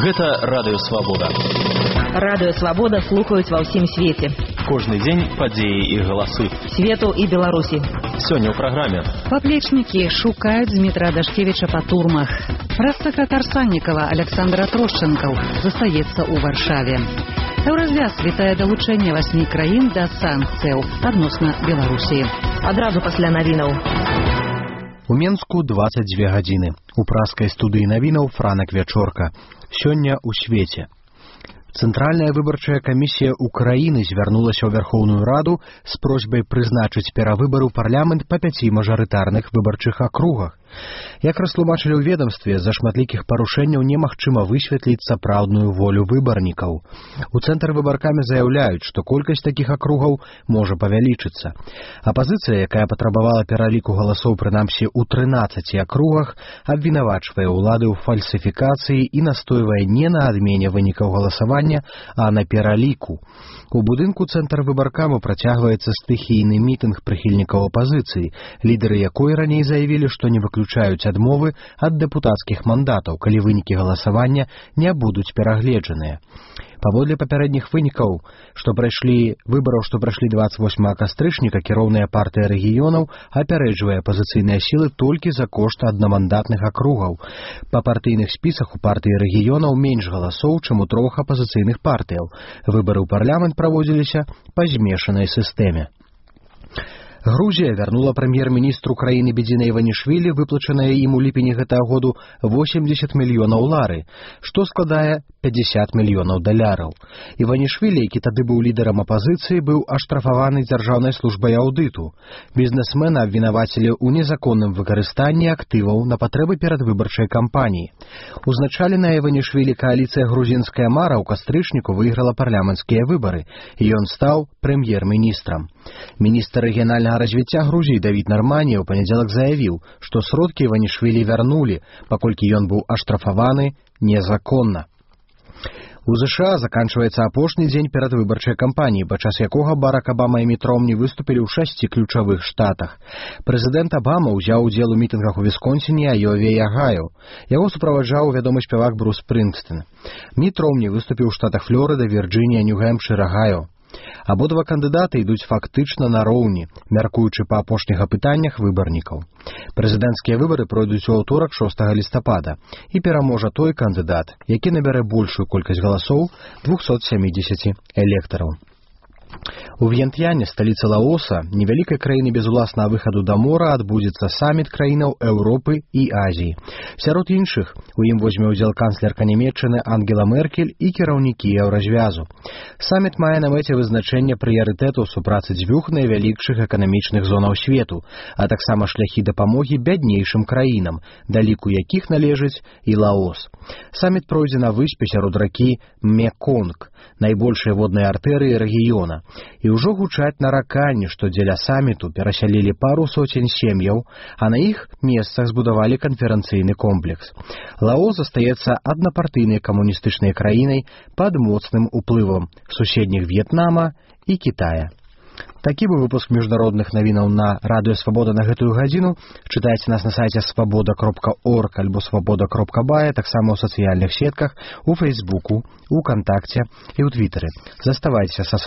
Гэта Радыё Свабода. Радыё Свабода слухаюць ва ўсім свеце. Кожны дзень падзеі і галасы. Свету і Беларусі. Сёння ў праграме. Паплечнікі шукаюць Дмітра Дашкевіча па турмах. Прэс-сакратар Саннікава Александр Трошчэнкаў застаецца ў Варшаве. Еўразвяз вітае далучэнне 8 краін да санкцыяў адносна Беларусі. Адразу пасля навінаў. У Менску 22 гадзіны. У праскай студыі навінаў Франак Вячорка. Сёння ў свеце. Цэнтральная выбарчая камісія Украіны звярнулася ў Вярхоўную Раду з просьбай прызначыць перавыбары ў парламент па 5 мажарытарных выбарчых акругах. Як растлумачылі ў ведамстве, з-за шматлікіх парушэнняў немагчыма высветліць сапраўдную волю выбарнікаў. У цэнтр выбаркамі заяўляюць, што колькасць такіх акругаў можа павялічыцца. Апазіцыя, якая патрабавала пераліку галасоў прынамсі ў 13 акругах, абвінавачвае ўлады ў фальсіфікацыі і настойвае не на адмене вынікаў галасавання, а на пераліку. У будынку цэнтр выбаркаму працягваецца стыхійны мітынг прыхільнікаў апазіцыі, лідары якой раней заявілі, што не выключаюць адмовы ад дэпутацкіх мандатаў, калі вынікі галасавання не будуць перагледжаныя. Паводле папярэдніх вынікаў, што прайшлі 28 кастрычніка, кіроўная партыя рэгіёнаў апярэджвае апазіцыйныя сілы толькі за кошт аднамандатных акругаў. Па партыйных спісах у партыі рэгіёнаў менш галасоў, чым у 3 апазіцыйных партыяў. Выбары ў парламент праводзіліся па змешанай сістэме. Грузія вярнула прэм'ер-міністру краіны Бедзіна Іванішвілі выплачанае ім у ліпені гэтага году 80 мільёнаў лары, што складае 50 мільёнаў даляраў. Іванішвілі, які тады быў лідарам апазіцыі, быў аштрафаваны дзяржаўнай службай аўдыту. Бізнесмена абвінавацілі ў незаконным выкарыстанні актываў на патрэбы перадвыбарчай кампаніі. Узначаленая Іванішвілі кааліцыя грузінская мара ў кастрычніку выйграла парламенцкія выбары, і ён стаў прэм'ер-міністрам. Міністр рэгіянальнага развіцця Грузіі Давід Нарманія ў панядзелак заявіў, што сродкі Іванішвілі вярнулі, паколькі ён быў аштрафаваны незаконна. У ЗША заканчваецца апошні дзень перадвыбарчай кампаніі, падчас якога Барак Абама і Міт Ромні выступілі ў 6 ключавых штатах. Прэзідэнт Абама ўзяў удзел у мітынгах у Вісконсіне, Айове і Агаю. Яго суправаджаў вядомы спявак Брус Спрынгстэн. Міт Ромні выступіў у штатах Флорыда, Вірджынія, Нью-Гэмпшыр, Агаю. Абодва кандыдаты ідуць фактычна нароўні, мяркуючы па апошніх апытаннях выбарнікаў. Прэзідэнцкія выбары пройдуць у аўторак 6 лістапада, і пераможа той кандыдат, які набярэ большую колькасць галасоў 270 электараў. У Вьентьяне, сталіцы Лаоса, невялікай краіны без уласнага выхаду да мора, адбудзецца саміт краінаў Еўропы і Азіі. Сярод іншых у ім возьме ўдзел канцлерка Нямецчыны Ангела Меркель і кіраўнікі Еўразвязу. Саміт мае на мэце вызначэнне прыярытэтаў супрацы дзвюх найвялікшых эканамічных зонаў свету, а таксама шляхі дапамогі бяднейшым краінам, да ліку якіх належыць і Лаос. Саміт пройдзе на выспе сярод ракі Меконг, найбольшай воднай артэрыі рэгіёна. І ўжо гучаць нараканні, што дзеля саміту перасялілі пару соцень сем'яў, а на іх месцах збудавалі канферэнцыйны комплекс. Лаос застаецца аднапартыйнай камуністычнай краінай пад моцным уплывам суседніх В'етнама і Кітая. Такі быў выпуск міжнародных навінаў на Радыё Свабода на гэтую гадзіну. Чытайце нас на сайце свабода.орг альбо свабода.бай, таксама ў сацыяльных сетках, у Фейсбуку, у Кантакце і ў Твітары. Заставайцеся са